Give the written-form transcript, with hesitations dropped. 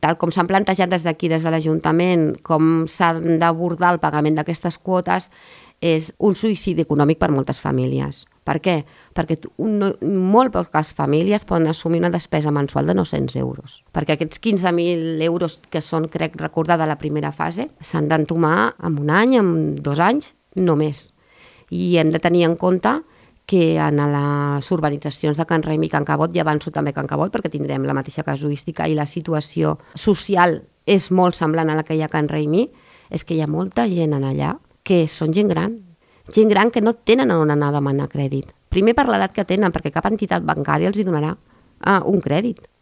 tal com s'han plantejat des d'aquí, des de l'Ajuntament, com s'ha d'abordar el pagament d'aquestes quotes, és un suïcidi econòmic per moltes famílies. Per què? Perquè molt poques famílies poden assumir una despesa mensual de 900 euros. Perquè aquests 15.000 euros que són, crec recordar, de la primera fase, s'han d'entomar en un any, en 2 anys, no més. I hem de tenir en compte que en les urbanitzacions de Can Raimi i Can Cabot, i avanço també Can Cabot, perquè tindrem la mateixa casuística i la situació social és molt semblant a la que hi ha a Can Raimi, és que hi ha molta gent en allà que són gent gran que no tenen on anar a demanar crèdit. Primer per l'edat que tenen, perquè cap entitat bancària els hi donarà un crèdit.